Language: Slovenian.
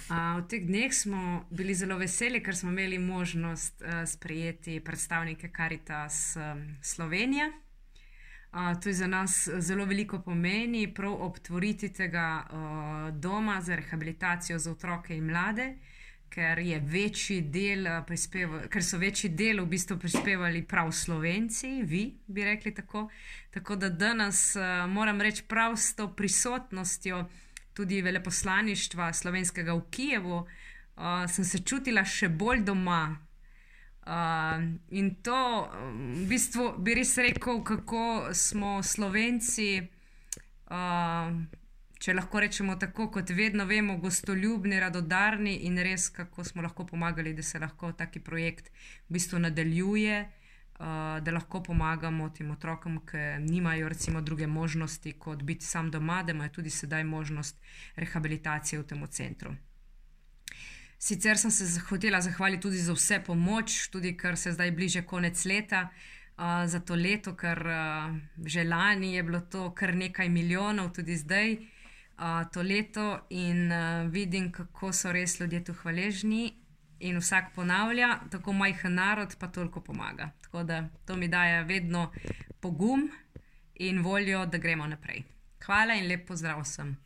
V teh dneh smo bili zelo veseli, ker smo imeli možnost sprejeti predstavnike Karitas Slovenije. To je za nas zelo veliko pomeni, prav ob otvoritvi tega doma za rehabilitacijo za otroke in mlade, ker so večji del v bistvu prispevali prav Slovenci, vi bi rekli tako. Tako da danes moram reči prav s to prisotnostjo tudi veleposlaništva slovenskega v Kijevu, sem se čutila še bolj doma. In to v bistvu bi res rekel, kako smo Slovenci, če lahko rečemo tako, kot vedno vemo, gostoljubni, radodarni in res, kako smo lahko pomagali, da se lahko taki projekt v bistvu nadaljuje, da lahko pomagamo tem otrokom, ki nimajo recimo druge možnosti, kot biti sam doma, da imajo tudi sedaj možnost rehabilitacije v tem centru. Sicer sem se hotela zahvaliti tudi za vse pomoč, tudi ker se zdaj bliže konec leta, za to leto, ker že lani je bilo to kar nekaj milijonov, tudi zdaj to leto, in vidim, kako so res ljudje tu hvaležni in vsak ponavlja, tako majhen narod pa toliko pomaga. Tako da to mi daje vedno pogum in voljo, da gremo naprej. Hvala in lep pozdrav vsem.